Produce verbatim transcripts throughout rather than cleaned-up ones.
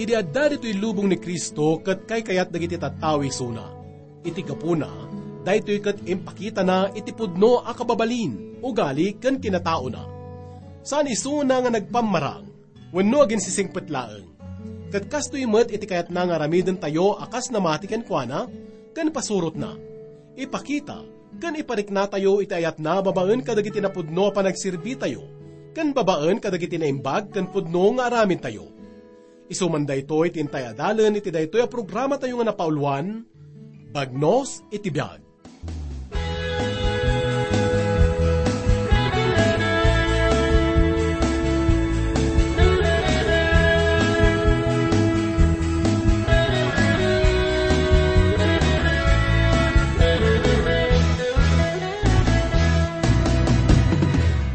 Ti adda ditoy lubong ni Cristo ket kaykayat dagiti tattao isuna. Iti gapuna, daytoy ket impakitana iti pudno a kababalin, ugali ken kinataona. Saan isuna nga nagpammarang wenno aginsisingpet laeng. Ket kastoy met iti kayatna nga aramidentayo a kas namati kenkuana ken pasurotna. Ipakita ken ipariknatayo iti ayatna babaen kadagiti napudno a panagserbitayo ken babaen kadagiti naimbag ken pudno nga aramidtayo. Isu man daytoy ti intay adalen iti daytoy a programatayo nga napauluan, Bagnos iti Biag.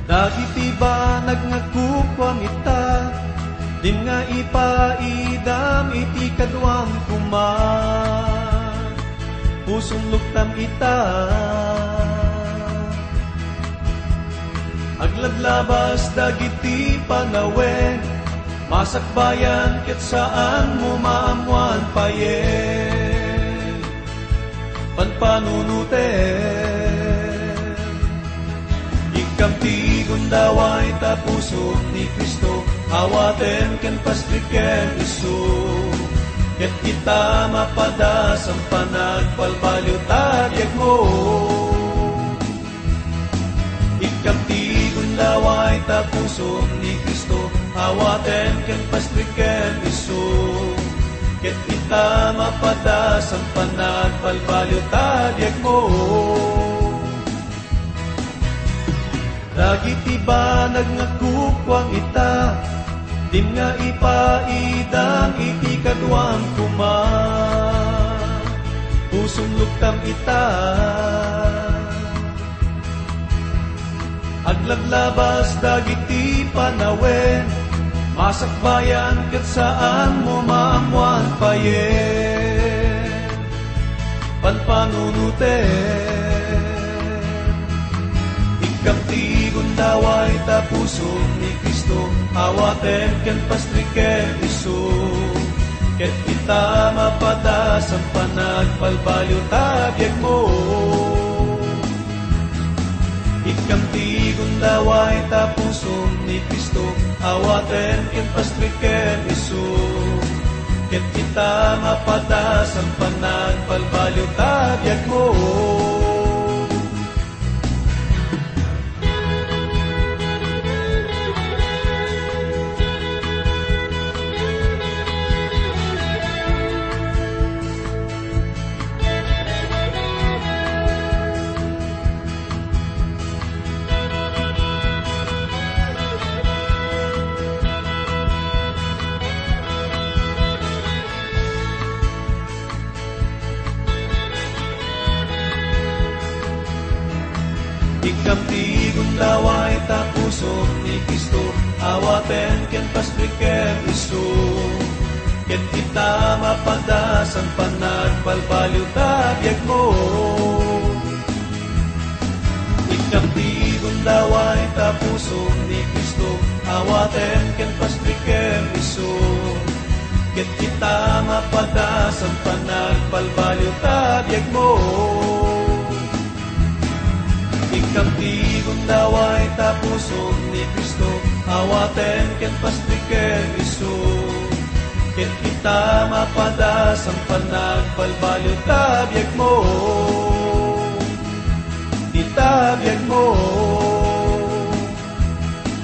Dagiti banag nga kukuam ita, dim nga ipaidam iti kaduam koma. Pusom luktam ita. Aglablabas dagiti panawen, masakbayan ket saanmo maammoan payen. Panpanunoten. Ikkam ti gundaway ta pusom ni Cristo, awatem ken pastrikem isu. Ket kita mapadas a panagbalbaliw ta biagmo. Ikkam ti gundaway ta pusom ni Cristo, awatem ken pastrikem isu. Ket kita mapadas a panagbalbaliw ta biagmo. Dagiti banag nga kukuam ita, dim nga ipaidam iti kaduam koma. Pusom luktam ita. Aglablabas dagiti panawen, masakbayan ket saanmo maammoan payen. Panpanunoten. Ikkam ti gundaway ta pusom ni Cristo, awatem ken pastrikem isu. Ket kita mapadas a panagbalbaliw ta biagmo. Ikkam ti gundaway ta pusom ni Cristo, awatem ken pastrikem isu. Ket kita mapadas a panagbalbaliw ta biagmo. Ikkam ti gundaway ta pusom ni Cristo, awatem ken pastrikem isu. Ket kita mapadas a panagbalbaliw ta biagmo. Ikkam ti gundaway ta pusom ni Cristo, awatem ken pastrikem isu. Ket kita mapadas a panagbalbaliw ta biagmo. Ikkam ti gundaway ta pusom ni Cristo, awatem ken pastrikem isu. Ket kita mapadas a panagbalbaliw ta biagmo. Ita biagmo.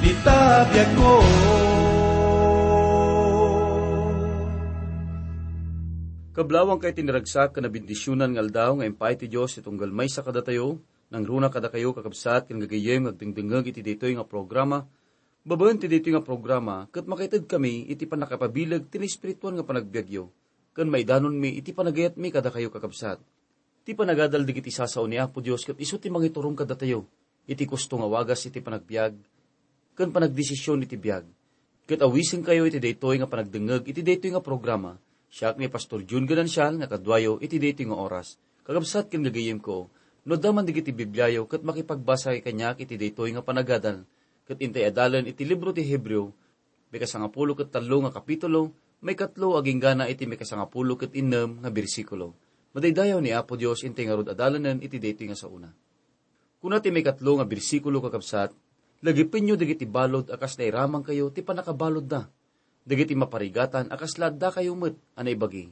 Ita biagmo. Kablawang kay tiniragsak ken nabendisionan nga aldaw nga impay ti Dios ti tunggal maysa kadatayo, nangruna kadakayo, kakabsat, ken gagayyem nga agdengdengngeg iti daytoy nga programa. Babaen ti daytoy nga programa, ket makaitedkami iti pannakapabileg ti naespirituan nga panagbiagyo, ken maidanonmi iti panagayatmi kadakayo, kakabsat. Ti panagadal dagiti sasao ni Apo Dios ket isu ti mangiturom kadatayo iti kusto nga wagas iti panagbiag ken panagdesision iti biag. Ket awisenkayo iti daytoy nga panagdengngeg iti daytoy nga programa. Siak ni Pastor Jun Ganancial nga kaduayo iti daytoy nga oras. Kakabsat ken gagayyemko, no adda man dagiti Bibliayo ket makipagbasa kaniak iti daytoy nga panagadal, ket intay adalen iti libro ti Hebreo, ikasangapulo ket tallo nga kapitulo, Maikatlo, agingga iti maikasangapulo ket innem nga bersikulo. Madaydayaw ni Apo Dios intay ngarud a dalanen iti daytoy nga saona. Kuna ti maikatlo nga bersikulo, kakabsat, "Lagipenyo dagiti balud a kas nairamangkayo ti pannakabaludda, dagiti maparigatan a kasla addakayo met a naibagi."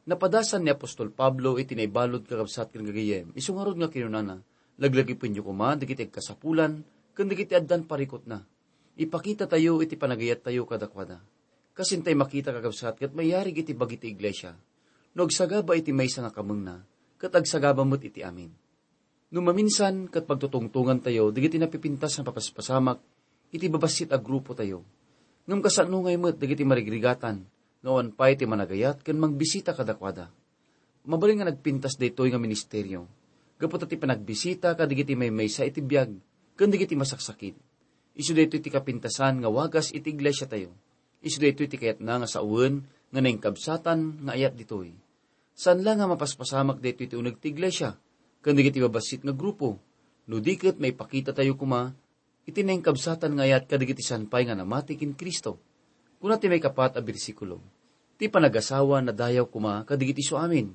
Napadasan ni apostol Pablo iti naibalud, kakabsat ken gagayyem, isu ngarud nga kinunana, "Laglagipenyo koma dagiti agkasapulan ken dagiti addan parikutna." Ipakitatayo iti panagayattayo kadakuada. Kas intay makita, kakabsat, ket mayarig iti bagi ti iglesia no agsagaba iti maysa nga kamengna, ket agsagaba met iti amin. No maminsan, ket pagtutungtongantayo dagiti napipintas nga papaspasamak iti babassit a grupotayo. Ngem kasano ngay met dagiti marigrigatan nga awan pay ti managayat ken mangbisita kadakuada? Mabalin nga nagpintas daytoy nga ministerio gapu ta ti panagbisita kadagiti maymaysa iti biag ken dagiti masaksakit. Isu daytoy ti kapintasan nga wagas iti iglesiatayo. Isu daytoy ti kayatna nga sawen nga naingkabsatan nga ayat ditoy. Saan la nga mapaspasamak daytoy ti uneg ti iglesia ken dagiti babassit nga grupo, no di ket maipakitatayo koma iti naingkabsatan nga ayat kadagiti saan pay nga namati ken Cristo. Kuna ti maikapat a bersikulo, "Ti panagasawa nadayaw koma kadagiti suamin,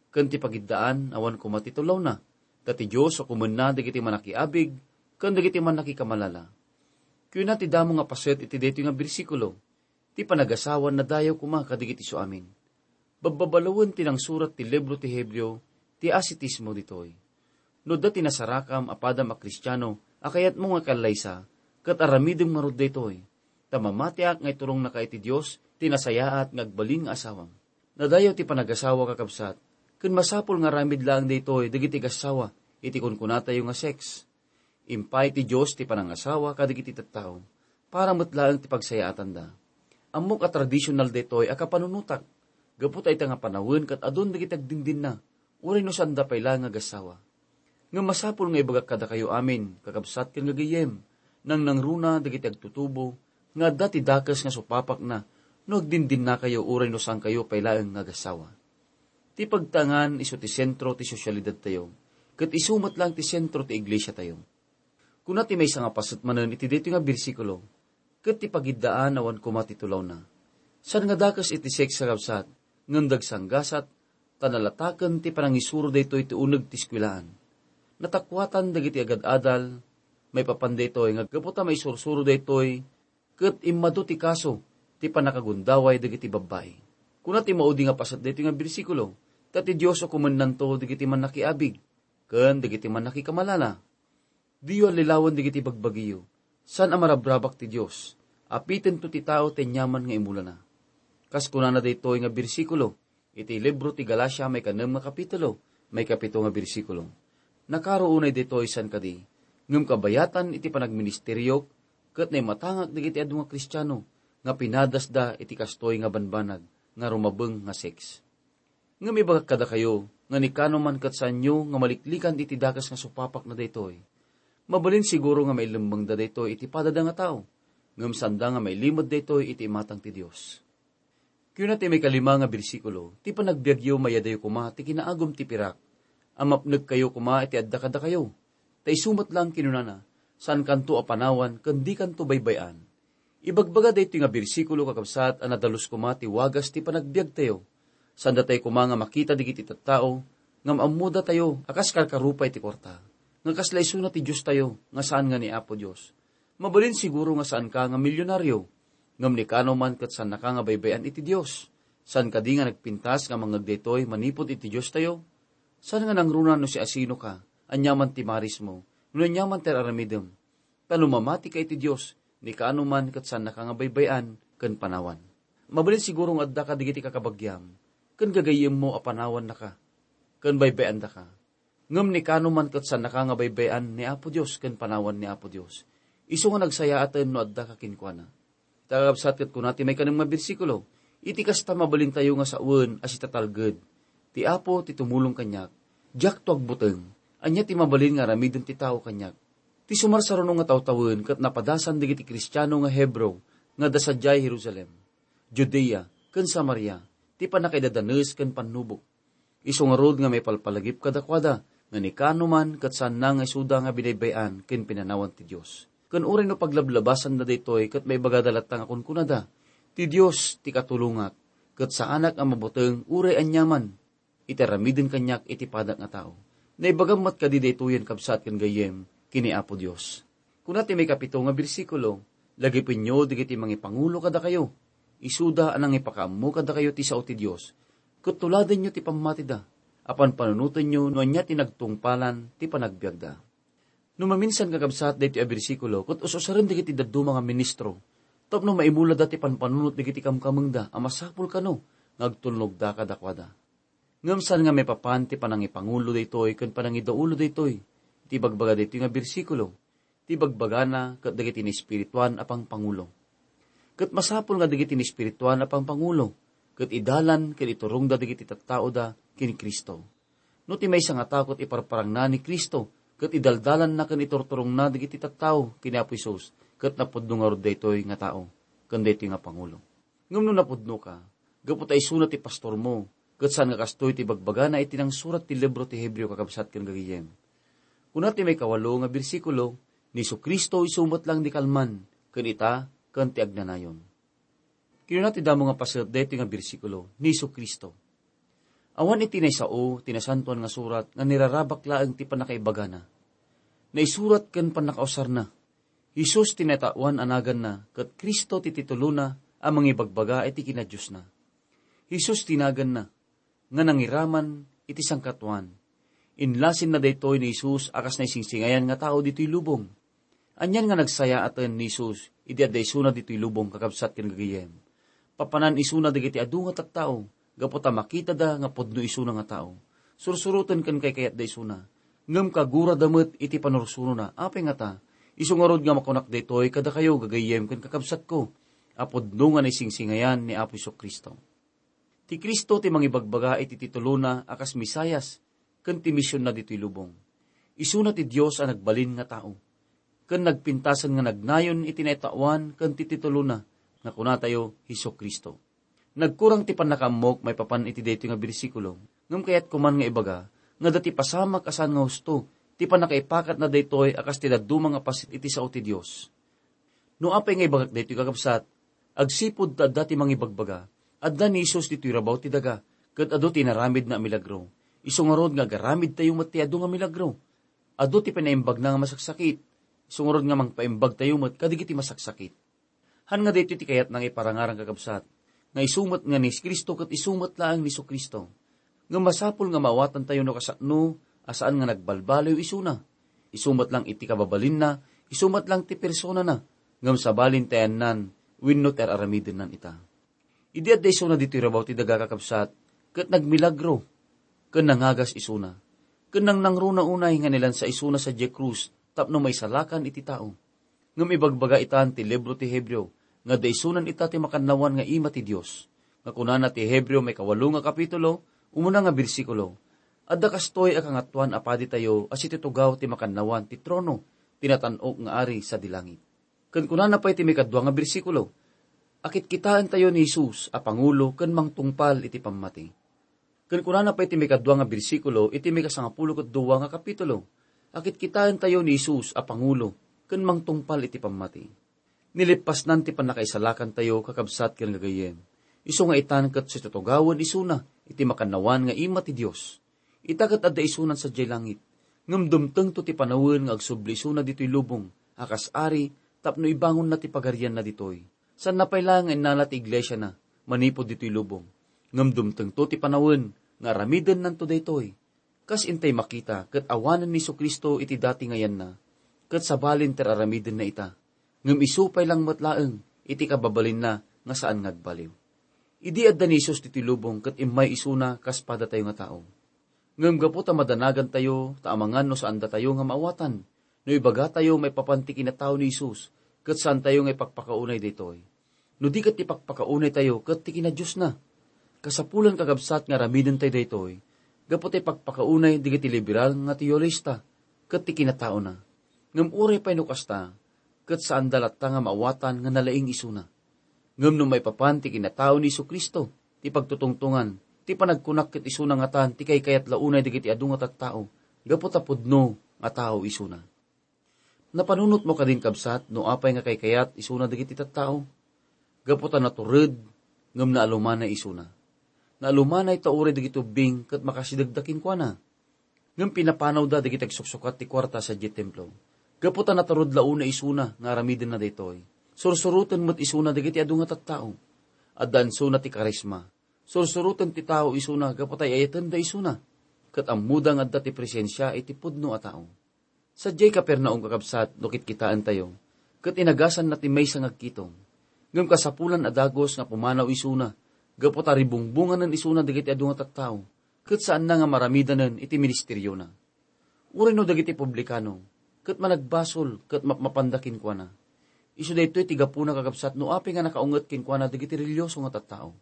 ken ti pagiddaan awan koma ti tulawna, ta ti Dios ukomenna dagiti mannakiabig ken dagiti mannakikamalala." Kuna ti damo nga paset iti daytoy nga bersikulo, "Ti panagasawa nadayaw koma kadagiti suamin." Babbabaloen ti nangsurat ti libro ti Hebreo ti asitismo ditoy. No adda ti nasarakam a padam a Kristiano a kayatmo nga kallaysa, ket aramidem ngarud daytoy, ta mamatiak nga itulongnaka iti Dios ti nasayaat nga agbalin nga asawam. Nadayaw ti panagasawa, kakabsat, ken masapul nga aramid laeng daytoy dagiti agassawa iti kunkunatayo nga sex. Impay ti Dios ti panangasawa kadagiti tattao para met laeng ti pagsayaatanda. Ammok a tradisional daytoy a kapanunotak, gapu ta ita nga panawen ket adun dagiti agdindinna, uray no saanda pay laeng nga agassawa. Ngem masapul nga ibagak kadakayo amin, kakabsat ken gagayyem, nangnangruna dagiti agtutubo nga adda ti dakes nga supapakna no agdindinnakayo uray no saankayo pay laeng nga agassawa. Ti pagtangan isu ti sentro ti sosialidadtayo, ket isu met laeng ti sentro ti iglesiatayo. Kuna ti maysa nga paset manen iti daytoy nga bersikulo, "Ket ti pagiddaan awan koma ti tulawna." Saan nga dakes iti sex, kakabsat, ngem dagsanggasat, ta nalataken ti panangisuro daytoy ti uneg ti eskuelaan. Natakuatan dagiti agad-adal maipapan daytoy nga gapu ta maisursuro daytoy ket immadu ti kaso ti pannakagundaway dagiti babbai. Kuna ti maudi nga paset daytoy nga bersikulo, "Ta ti Dios ukomennanto dagiti mannakiabig ken dagiti mannakikamalala." Diyo allilawen dagiti bagbagiyo. Saan a marabrabak ti Dios. Apitento ti tao ti aniaman nga imulana. Kas kunana daytoy nga bersikulo iti libro ti Galacia, maikanem nga kapitulo, maikapito nga bersikulo, "Nakaro unay daytoy saan kadi, ngem kabayatan iti panagministeriok ket naimatangak dagiti adu nga Kristiano nga pinadasda iti kastoy nga banbanag nga rumabeng nga sex." Ngem ibagak kadakayo nga ni kanuman ket saanyo nga maliklikan iti dakes nga supapakna daytoy. Mabalin siguro nga mailemmengda daytoy iti padada nga tao, ngem saanda nga mailimed daytoy iti imatang ti Dios. Kuna ti maikalima nga bersikulo, "Ti panagbiagyo mayadayo koma ti kinaagum ti pirak a mapnekkayo koma iti adda kadakayo. Ta isu met laeng," kinunana, "saankanto a panawan ken dikanto baybay-an." Ibagbaga daytoy nga bersikulo, kakabsat, a nadalus koma ti wagas ti panagbiagtayo. Saandatayo koma nga makita dagiti tattao ngem ammodatayo a kas karkarupay ti kuarta, nga kasla isuna ti Diostayo nga saan nga ni Apo Dios. Mabalin siguro nga saanka nga milionario, ngem ni kanuman ket saannaka nga baybay-an iti Dios. Saan kadi nga nagpintas nga mangngeg daytoy manipud iti Diostayo? Saan nga nangruna no siasinoka, aniaman ti marismo, no aniaman ti ar-aramidem? Ta no mamatika iti Dios, ni kaano man ket saannaka nga baybay-an ken panawan. Mabalin siguro nga adda kadagiti kakabagiam ken gagayyemmo a panawannaka ken baybay-andaka. Ngem ni kaano man ket saannaka nga baybay-an ni Apo Dios ken panawan ni Apo Dios. Isu nga nagsayaaten no addaka kenkuana. Ita, kakabsat, ket kuna ti maikanem nga bersikulo, "Iti kasta, mabalintayo nga sawen a sitatalged. Ti Apo ti tumulong kaniak. Diakto agbuteng. Ania ti mabalin nga aramiden ti tao kaniak?" Ti sumarsaruno nga tawtawen ket napadasan dagiti Kristiano nga Hebreo nga adda sadiay Jerusalem, Judea, ken Samaria, ti pannakaidadanes ken pannubok. Isu ngarud nga maipalpalagip kadakuada nga ni kaano man ket saanna nga isuda nga binaybay-an ken pinanawan ti Dios. Ken uray no paglablabasanda daytoy ket maibagada latta nga kunkunada, Ti Dios ti katulongak, ket saanak a mabuteng uray aniaman iti aramiden kaniak iti padak nga tao. Naibagam met kadi daytoyen, kabsat ken gayyem, ken ni Apo Dios. Kuna ti maikapito nga bersikulo, "Lagipenyo dagiti mangipangulo kadakayo. Isuda a nangipakaammo kadakayo ti sao ti Dios, ket tuladenyo ti pammatida, a panpanunotenyo no ania ti nagtungpalan ti panagbiagda." No maminsan, kakabsat, daytoy a bersikulo ket us-usaren dagiti dadduma nga ministro tapno maimulada ti panpanunot dagiti kamkamengda a masapul kano nga agtulnogda kadakuada. Ngem saan nga maipapan ti panangipangulo daytoy ken panangidaulo daytoy iti ibagbaga daytoy nga bersikulo. Ti ibagbagana ket dagiti naespirituan a pangpangulo. Ket masapul nga dagiti naespirituan a pangpangulo ket idalan ken iturongda dagiti tattaoda ken Cristo. No ti maysa nga tao ket iparparangna ni Cristo ket idaldalanna ken iturturongna dagiti tattao ken ni Apo Jesus, ket napudno ngarud daytoy nga tao ken daytoy nga pangulo. Ngem no napudnoka, gapu ta isuna ti pastormo, ket saan nga kastoy ti ibagbagana iti nangsurat ti libro ti Hebreo, kakabsat ken gagayem. Kuna ti maikawalo nga bersikulo, "Ni Jesu-Cristo isu met laeng ti kalman, ken ita, ken ti agnanayon." Kinuna ti damo nga paset daytoy nga bersikulo, "Ni Jesu-Cristo." Awan iti naisao ti Nasantoan nga Surat nga nirarabak laeng ti pannakaibagana. Naisurat ken pannakausarna. Jesus ti naitaoan a naganna, ket Cristo ti titulona a mangibagbaga iti kinadiosna. Jesus ti naganna nga nangiraman iti sangkataoan. Inlasinna daytoy ni Jesus a kas naisingsingayan nga tao ditoy lubong. Anian nga nagsayaaten ni Jesus idi adda isuna ditoy lubong, kakabsat ken gagayem? Papanan isuna dagiti adu nga tattao gapu ta makitada nga pudno isuna nga tao. Sursuroten ken kaykayatda isuna. Ngem kagurada met iti panursurona. Apay ngata? Isu ngarud nga makunak daytoy kadakayo, gagayem ken kakabsatko, a pudno nga naisingsingayan ni Apo Jesu-Cristo. Ti Cristo ti mangibagbaga iti titulona a kas Mesias ken ti misionna ditoy lubong. Isuna ti Dios a nagbalin nga tao, ken nagpintasen nga nagnayon iti naitaoan ken ti titulona nga kunatayo Jesu-Cristo. Nagkurang ti pannakaammok maipapan iti daytoy nga bersikulo, ngem kayatko man nga ibaga nga adda ti pasamak a saan nga husto ti pannakaipakatna daytoy a kas ti dadduma nga paset iti sao ti Dios. No apay nga ibagak daytoy, kakabsat, agsipud ta adda ti mangibagbaga, adda ni Jesus ditoy rabaw ti daga, ket adu ti inaramidna a milagro. Isu ngarud nga agaramidtayo met ti adu nga milagro. Adu ti pinaimbagna nga masaksakit. Isu ngarud nga mangpaimbagtayo met kadagiti masaksakit. Haan nga daytoy ti kayatna nga iparangarang, kakabsat, nga isu met nga ni Cristo ket isu met laeng ni Jesu-Cristo. Ngem masapul nga maawatantayo no kasano a saan nga nagbalbaliw isuna. Isu met lang iti kababalinna, isu met lang ti personana, ngem sabalin ti ayanna wenno ti ar-aramidenna ita. Idi adda isuna ditoy rabaw ti daga, kakabsat, ket nagmilagro, ken nangagas isuna, ken nangnangruna unay nga nilansa isuna sadiay krus tapno maisalakan iti tao. Ngem ibagbaga itan ti libro ti Hebreo nga adda isunan ita ti makannawan nga ima ti Dios. Nga kunana ti Hebreo maikawalo nga kapitulo, umuna nga bersikulo, "Adda kastoy a Kangatoan a Paditayo a situtugaw ti makannawan ti trono ti natan-ok nga Ari sadi langit." Ken kunana pay ti maikadua nga bersikulo, "Akitkitaentayo ni Jesus a pangulo ken mangtungpal iti pammati." Ken kunana pay ti maikadua nga bersikulo iti maikasangapulo ket dua nga kapitulo, "Akitkitaentayo ni Jesus a pangulo ken mangtungpal iti pammati." Nilippasnan ti pannakaisalakantayo, kakabsat ken gagayyem. Isu nga itan ket situtugawen isuna iti makannawan nga ima ti Dios. Ita ket adda isunan sadiay langit, ngem dumtengto ti panawen nga agsubli isuna ditoy lubong a kas ari tapno ibangonna ti pagarianna ditoy. Saanna pay laeng nga innala ti iglesiana manipud ditoy lubong, ngem dumtengto ti panawen nga aramidennanto daytoy. Kas intay makita ket awanen ni Jesu-Cristo iti dati nga yanna, ket sabalin ti ar-aramidenna ita, ngem isu pay lang met laeng iti kababalinna nga saan nga agbaliw. Idi adda ni Jesus ditoy lubong ket immay isuna kas padatayo nga tao. Ngem gapu ta madanagantayo ta amangan no saandatayo nga maawatan, no ibagatayo maipapan ti kinatao ni Jesus, ket saantayo nga ipakpakaunay daytoy. No di ket ipakpakaunaytayo ket ti kinadiosna. Kasapulan, kakabsat, nga aramidentayo daytoy, gapu ta ipakpakaunay dagiti liberal nga teologista ket ti kinataona. Ngem uray pay no kasta, ket saanda latta nga maawatan nga nalaing isuna. Ngem no maipapan ti kinatao ni Jesu-Cristo, ti pagtutungtongan, ti panagkunak ket isuna ngatan ti kaykayat la unay dagiti adu nga tattao, gapu ta pudno nga tao isuna. Napanunotmo kadin, kabsat, no apay nga kaykayat isuna dagiti tattao? gapu ta natured, ngem naalumanay isuna. Naalumanay ta uray dagiti ubbing ket makasidegda kenkuana. Ngem pinapanawda dagiti agsuksukat ti kuarta sadiay templo. Gapu ta natured la unay isuna nga aramidenna daytoy, sursuroten met isuna dagiti adu nga tattao. Adda insuna ti karisma. Sursuroten ti tao isuna gapu ta ay-ayatenda isuna, ket ammoda nga adda ti presensia iti pudno a tao. Sadiay Capernaum, kakabsat, no kitkitaentayo, ket inagasanna ti maysa nga agkitong. Ngem kasapulan a dagus nga pumanaw isuna, gapu ta ribungbunganen isuna dagiti adu nga tattao, ket saanna nga maramidanen iti ministeriona. Uray no dagiti publikano, ket managbasol ket mapmapanda kenkuana. Isu daytoy ti gapuna, kakabsat, no apay nga nakaunget kenkuana dagiti relihioso nga tattao.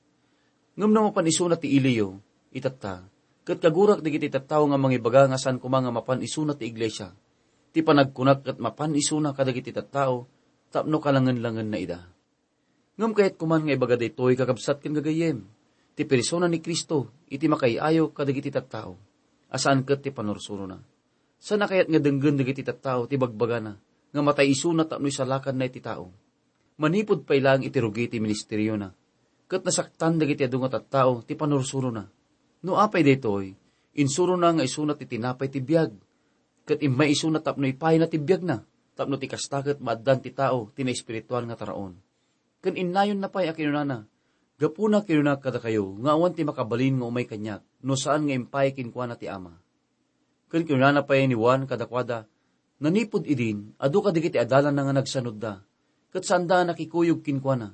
Ngem no mapan isuna ti iliyo, itatta, ket kagurak dagiti tattao nga mangibaga nga saan koma nga mapan isuna ti iglesia. Ti panagkunak ket mapan isuna kadagiti tattao tapno kalangen-langenna ida. Ngem kayat koman nga ibaga daytoy, kakabsat ken gagayyem, ti persona ni Cristo iti makaay-ayo kadagiti tattao, a saan ket ti panursurona. Saan a kayat nga denggen dagiti tattao ti bagbagana nga matay isuna tapno isalakanna iti tao. Manipud pay laeng iti rugi ti ministeriona, ket nasaktan dagiti adu nga tattao ti panursurona. No apay daytoy, insurona nga isuna ti tinapay ti biag, ket immay isuna tapno ipayna ti biagna, tapno ti kasta ket maaddan ti tao ti naespirituan nga taraon. Ken innayonna pay a kinunana, "Gapuna kinunak kadakayo nga awan ti makabalin nga umay kaniak no saan nga impay kenkuana ti Ama." Ken kinunana pay ni Juan kadakuada, "Nanipud idin, adu kadagiti adalanna nga nagsanudda, ket saanda a nakikuyog kenkuana."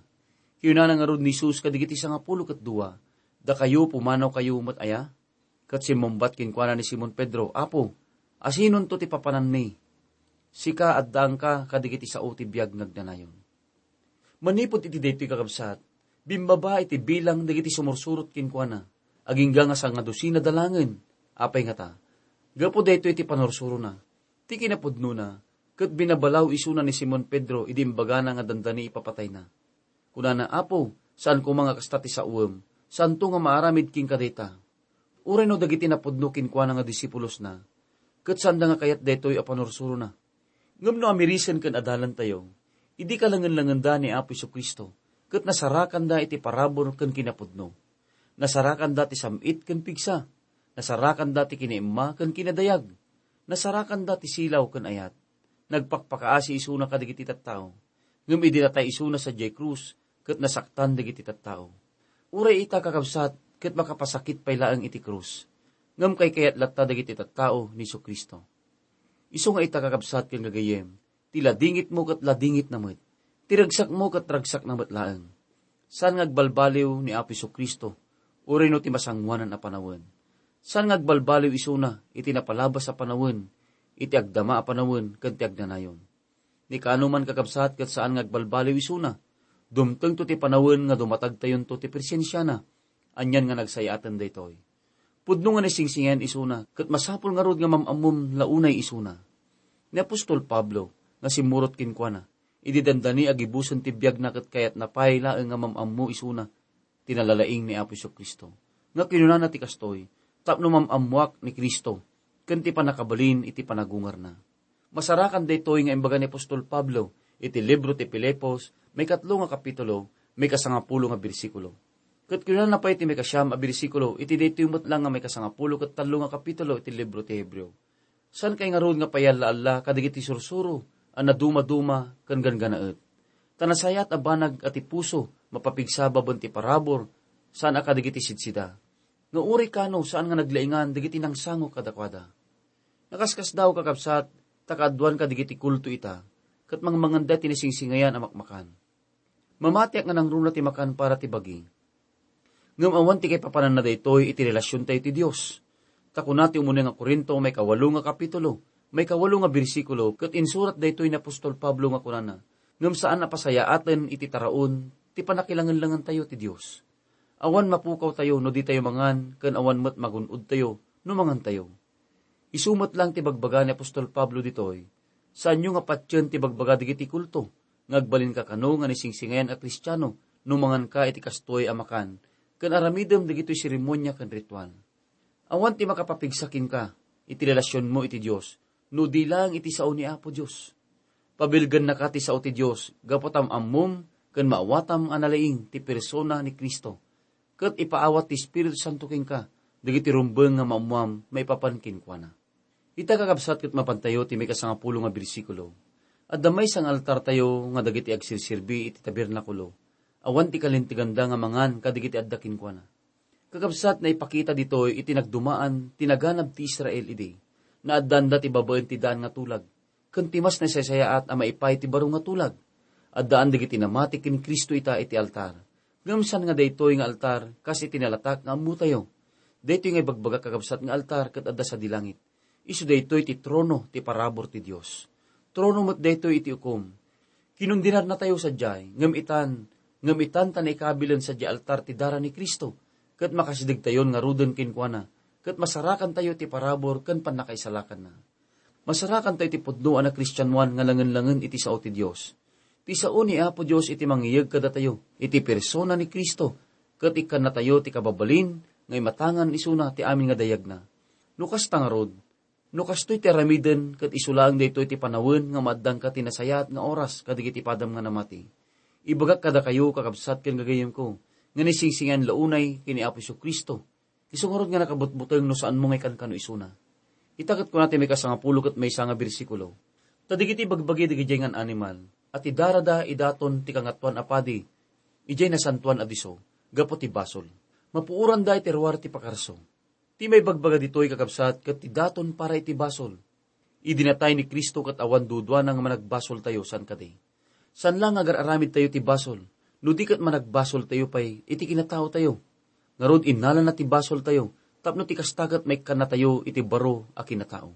Kinunana ngarud ni Jesus kadagiti sangapulo ket dua, "Dakayo, pumanawkayo met aya?" Ket simmungbat kenkuana ni Simon Pedro, "Apo, asinonto ti papananmi? Sika, addaanka kadagiti sao ti biag nga agnanayon." Manipud iti daytoy, kakabsat, bimmaba iti bilang dagiti sumursurot kenkuana, agingga nga sangadusina da laengen. Apay ngata? Gapu daytoy ti panursurona. Ti kinapudnona, ket binabalaw isuna ni Simon Pedro idi imbagana nga dandani ipapatayna. Kunana, "Apo, saan koma nga kasta ti saoem, saanto nga maaramid kenka dayta." Uray no dagiti napudno kenkuana nga disipulosna, ket saanda nga kayat daytoy a panursurona. Ngem no amirisen ken adalantayo, idi kalangen-langenda ni Apo Jesu-Cristo, ket nasarakanda iti parabur ken kinapudno. Nasarakanda ti sam-it ken pigsa. Nasarakanda ti kinaimma ken kinadayag. Nasarakanda ti silaw ken ayat. Nagpakpakaasi isuna kadagiti tattao. Ngem idi natay isuna sadiay krus, ket nasaktan dagiti tattao. Uray ita, kakabsat, ket makapasakit pay laeng iti krus. Ngem kaykayat latta dagiti tattao ni Jesu-Cristo. Isu nga ita, kakabsat ken gagayyem, ti ladingitmo ket ladingitna met, ti ragsakmo ket ragsakna met laeng. Saan nga agbalbaliw ni Apo Jesu-Cristo, uray no ti masangoanan a panawen. Saan nga agbalbaliw isuna iti napalabas a panawen, iti agdama a panawen, ken ti agnanayon. Ni kano man, kakabsat, ket saan nga agbalbaliw isuna. Dumtengto ti panawen nga dumatagtayonto ti presensiana. Anian nga nagsayaaten daytoy. Pudno nga naisingsingayan isuna, ket masapul ngarud nga mam-ammom la unay isuna. Ni apostol Pablo nga simmurot kenkuana, idi dandani a gibusen ti biagna ket kayatna pay laeng nga mam-ammo isuna ti nalalaing ni Apo Jesu-Cristo, nga kinunana ti kastoy, "Tapno mam-ammoak ni Cristo ken ti pannakabalin iti panagungarna." Masarakan daytoy nga imbaga ni apostol Pablo iti libro ti Filipos, maikatlo nga kapitulo, maikasangapulo nga bersikulo. Ket kinunana pay ti maikasiam a bersikulo iti daytoy met la nga maikasangapulo ket tallo nga kapitulo iti libro ti Hebreo, "Saankay ngarud nga payalla-alla kadagiti sursuro a nadumaduma ken ganggannaet. Ta nasayaat a banag a ti puso mapapigsa babaen ti parabur, saan a kadagiti sidsida. Nga uray kano, saan nga naglaingan dagiti nangsango kadakuada." Nakaskasdaaw, kakabsat, ta kaaduan kadagiti kulto ita, ket mangmanganda ti naisingsingayan a makmakan. Mamatiak nga nangruna ti makan para ti bagi. Ngem awan ti kaipapananna daytoy iti relasiontayo ti Dios. Ta kuna ti umuna nga Corinto, maikawalo nga kapitulo, maikawalo nga bersikulo, ket insurat daytoy ni apostol Pablo nga kunana, "Ngem saan a pasayaaten iti taraon ti pannakilangenlangentayo ti Dios. Awan mapukawtayo no ditayo mangan, ken awan met magun-odtayo no mangantayo." Isu met laeng ti bagbaga ni apostol Pablo ditoy, "Saanyo nga patien ti bagbaga dagiti kulto nga agbalinka kano nga naisingsingayan a Kristiano no manganka iti kastoy a makan ken aramidem dagitoy seremonia ken ritual." Awan ti makapapigsa kenka iti relasionmo iti Dios no di laeng iti sao ni Apo Dios. Pabilgennaka ti sao ti Dios gapu ta am-ammom ken maawatam a nalaing ti persona ni Cristo, ket ipaawat ti Espiritu Santo kenka dagiti rumbeng nga maammoam maipapan kenkuana. Ita, kakabsat, ket mapantayo ti maikasangapulo nga bersikulo. Adda maysa nga altartayo nga dagiti agserserbi iti tabernakulo, awan ti kalinteganda nga mangan kadagiti adda kenkuana. Kakabsat, naipakita ditoy iti nagdumaan ti naganab ti Israel idi. Naaddaanda ti babaen ti daan nga tulag, ken ti mas nasaysayaat a maipay ti baro nga tulag. Addaan dagiti namati ken Cristo ita iti altar. Ngem saan nga daytoy nga altar kas iti nalatak nga ammotayo. Daytoy nga ibagbagak, kakabsat, nga altar ket adda sadi langit. Isu daytoy ti trono ti parabur ti Dios. Trono met daytoy iti ukom. Kinundenarnatayo sadiay, ngem itan, ngem itan ta naikabilen sadiay altar ti dara ni Cristo, ket makasidegtayon ngaruden kenkuana, ket masarakantayo ti parabur ken pannakaisalakanna. Masarakantayo ti pudno a nakristianoan nga langen-langen iti sao ti Dios. Ti sao ni Apo Dios iti mangiyeg kadatayo iti persona ni Cristo, ket ikkannatayo ti kababalin nga imatangan isuna ti amin nga dayagna. No kasta ngarud, no kastoy ti aramiden, ket isu laeng daytoy ti panawen nga maaddanka ti nasayaat nga oras kadagiti padam nga namati. Ibagak kadakayo, kakabsat ken gagayyemko, nga naisingsingayan la unay ken ni Apo Jesu-Cristo. Isu ngarud nga nakabutbuteng no saanmo nga ikankano isuna. Ita ket kuna ti maikasangapulo ket maysa nga bersikulo, "Ta dagiti bagbagi dagidiay ngan animal a ti darada idaton ti Kangatoan a Padi idiay nasantoan a disso gapu ti basol. Mapuoranda iti ruar ti pakarso." Ti maibagbaga ditoy, kakabsat, ket ti daton para iti basol. Idi natay ni Cristo ket awan duduana nga managbasoltayo, saan kadi? Saan la nga agar-aramidtayo ti basol, no di ket managbasoltayo pay iti kinataotayo. Ngarud, innalana ti basoltayo, tapno ti kasta ket maikkannatayo iti baro a kinatao.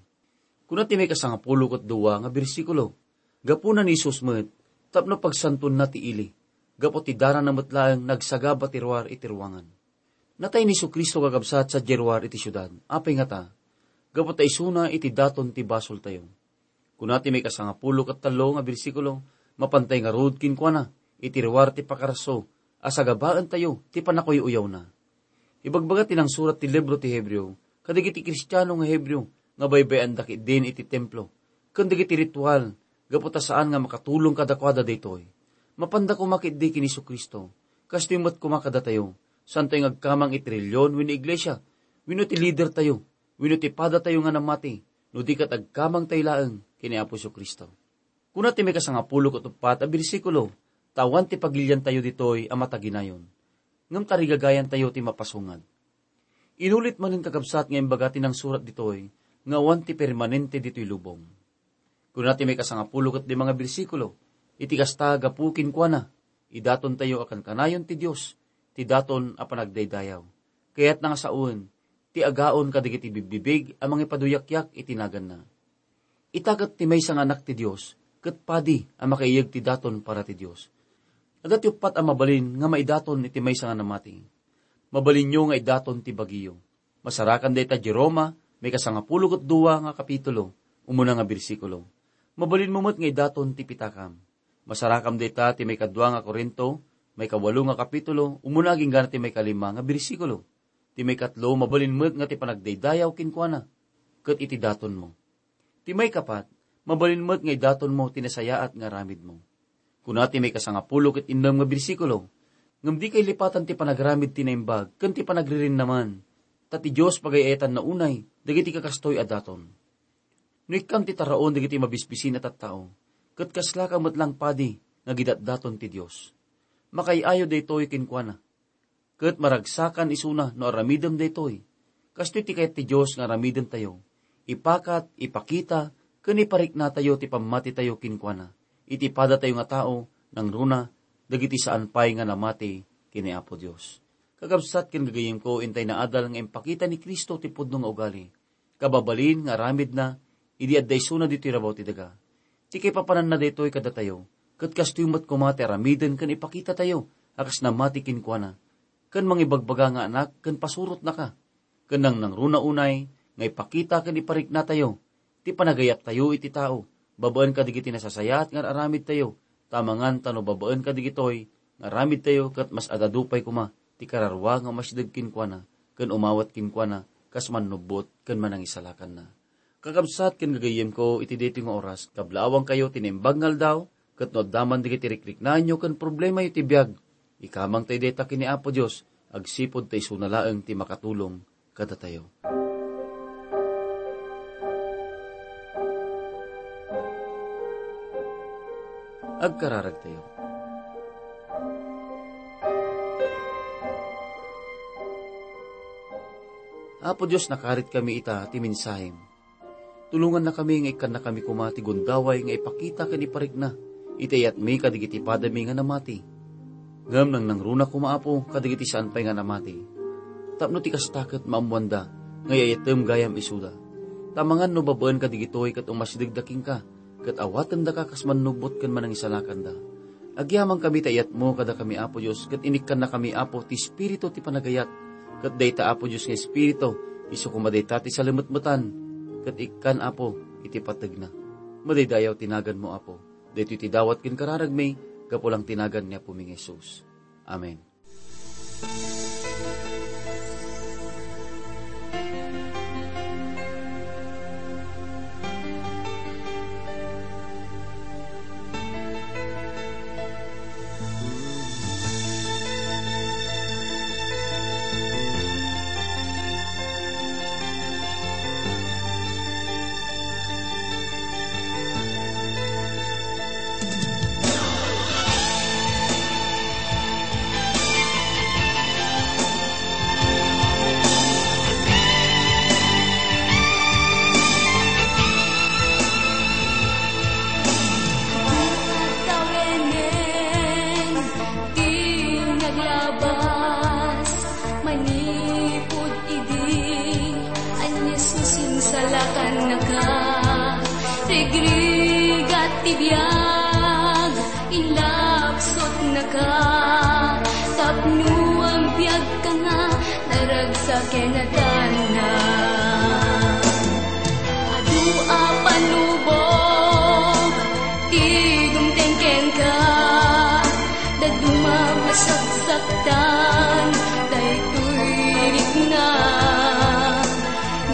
Kuna ti maikasangapulo ket dua nga bersikulo, "Gapuna ni Jesus met, tapno pagsantoenna ti ili, gapu ti darana met laeng nagsagaba ti ruar iti ruangan." Natay ni Jesu-Cristo, kakabsat, sadiay ruar iti siudad. Apay ngata? Gapu ta isuna iti daton ti basoltayo. Kuna ti maikasangapulo ket tallo nga bersikulo, "Mapantay ngarud kenkuana iti ruar ti pakarso a sagabaentayo ti pannakuy-uyawna." Ibagbaga ti nangsurat ti libro ti Hebreo kadagiti Kristiano nga Hebreo nga baybay-anda ketdin iti templo ken dagiti ritual, gapu ta saan nga makatulong kadakuada daytoy. Mapanda koma ketdi ken Jesu-Cristo. Kastoy met koma kadatayo, saantayo nga agkamang iti relihion wenno iglesia, wenno ti lidertayo, wenno ti padatayo nga namati, no di ket agkamangtayo laeng ken ni Apo Jesu-Cristo. Kuna ti maikasangapulo ket uppat a bersikulo, "Ta awan ti pagiliantayo ditoy a mataginayon, ngem tarigagayantayo ti mapasungad." Inulit manen, kakabsat, nga imbaga ti nangsurat ditoy nga awan ti permanente ditoy lubong. Kuna ti maikasangapulo ket lima nga bersikulo, "Iti kasta, gapu kenkuana, idatontayo a kankanayon ti Dios, ti daton a panagdaydayaw. Kayatna nga sawen ti agaon kadagiti bigbibig a mangipaduyakyak iti naganna." Ita ket ti maysa nga anak ti Dios, ket padi a makaiyeg ti daton para ti Dios. Adda ti uppat a mabalin nga maidaton iti maysa nga namati. Mabalinyo nga idaton ti bagiyo. Masarakan dayta di Roma, maikasangapulo ket dua nga kapitulo, umuna nga bersikulo. Mabalinmo met nga idaton ti pitakam. Masarakam dayta ti maikadua nga Corinto, maikawalo nga kapitulo, umuna agingga ti maikalima nga bersikulo. Ti maikatlo, mabalin met nga ti panagdaydayaw kenkuana, ket iti datonmo. Ti maikapat, mabalin met nga idatonmo ti nasayaat nga aramidmo. Kuna ti maikasangapulo ket innem nga bersikulo, "Ngem dika ilipatan ti panagramid ti naimbag ken ti panagririnnaman, ta ti Dios pagay-ayatanna unay dagiti kakastoy a daton." No ikkam ti taraon dagiti mabisbisin a tattao, ket kaslaka met laeng padi nga gidatdaton ti Dios. Makaay-ayo daytoy kenkuana. Ket maragsakan isuna no aramidem daytoy. Kastoy ti kayat ti Dios nga aramidentayo. Ipakat, ipakita, ken ipariknatayo ti pammatitayo kenkuana iti padatayo nga tao, nangruna dagiti saan pay nga namati ken ni Apo Dios. Kakabsat ken gagayyemko, intay naadal nga impakita ni Cristo ti pudno nga ugali, kababalin nga aramidna idi adda isuna ditoy rabaw ti daga. Ti kaipapananna daytoy kadatayo, ket kastoy met koma ti aramiden ken ipakitatayo a kas namati kenkuana, ken mangibagbaga nga anak ken pasurotnaka, ken nangnangruna unay nga ipakita ken ipariknatayo ti panagayattayo iti tao babaen kadagiti nasasayaat nga aramidtayo, ta amangan ta no babaen kadagitoy nga aramidtayo, ket mas adda pay koma ti kararua nga umasideg kenkuana ken umawat kenkuana kas mannubbot ken manangisalakanna. Kakabsat ken gagayyemko, iti daytoy nga oras, kablaawankayo ti Naimbag nga Aldaw, Ket no adda man dagiti rikriknaanyo ken problemayo ti biag, ikamangto dayta ken ni Apo Dios, agsipud ta isuna laeng ti makatulong kadatayo. Agkararagtayo. Apo Dios, nakaritkami ita ti mensahem. Tulongannakami nga ikkannakami koma ti gundaway nga ipakita ken iparikna iti ayatmi kadagiti padami nga namati. Ngem nangnangruna koma, Apo, kadagiti saan pay nga namati. Tapno ti kasta ket maammoanda nga ay-ayatem gayam isuda. Ta amangan no babaen kadagitoy ket umasidegda kenka, ket awatendaka kas mannubbot ken manangisalakanda. Agyamankami ta iyatmo kadakami, Apo Dios, ket inikkannakami, Apo, ti Espiritu ti panagayat. Ket dayta, Apo Dios, nga Espiritu, isu koma dayta ti salemetmetan, ket ikkan, Apo, iti pategna. Madaydayaw ti naganmo, Apo. Daytoy ti dawat ken kararagmi, gapu lang ti nagan ni Apomi nga Jesus. Amen. Tawenen ti naglabas manipud idi, ania, Jesus, insalakannaka. Rigrigat ti biag, inlapsutnaka. Tapno agbiagka nga naragsak ken natanna. Adu a panubog ti dumteng kenka, dadduma masaksaktan daytoy rikna.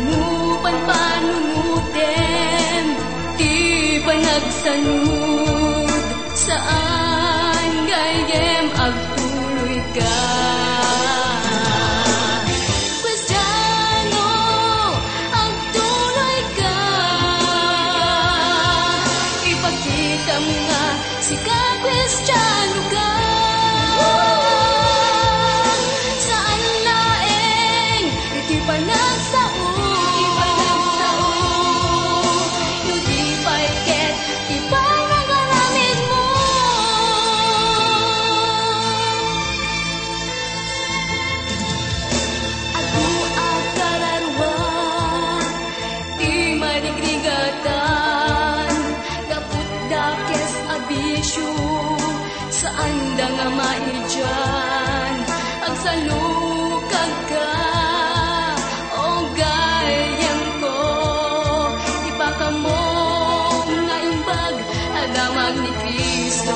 No panpanunotem ti panagsanud, saan gayyem agtuloyka. Kristiano, agtuloyka. Ipakitam nga sika Kristiano ka. Saan laeng iti panagsao, iti panagsao, no di pay ket ti panangaramidmo. Adu a kararua ti marigrigatan, gapu dakes a bisio, saanda nga maidian. Agsalukagka, o gayyemko, ipakaammom nga imbag a damag ni Cristo.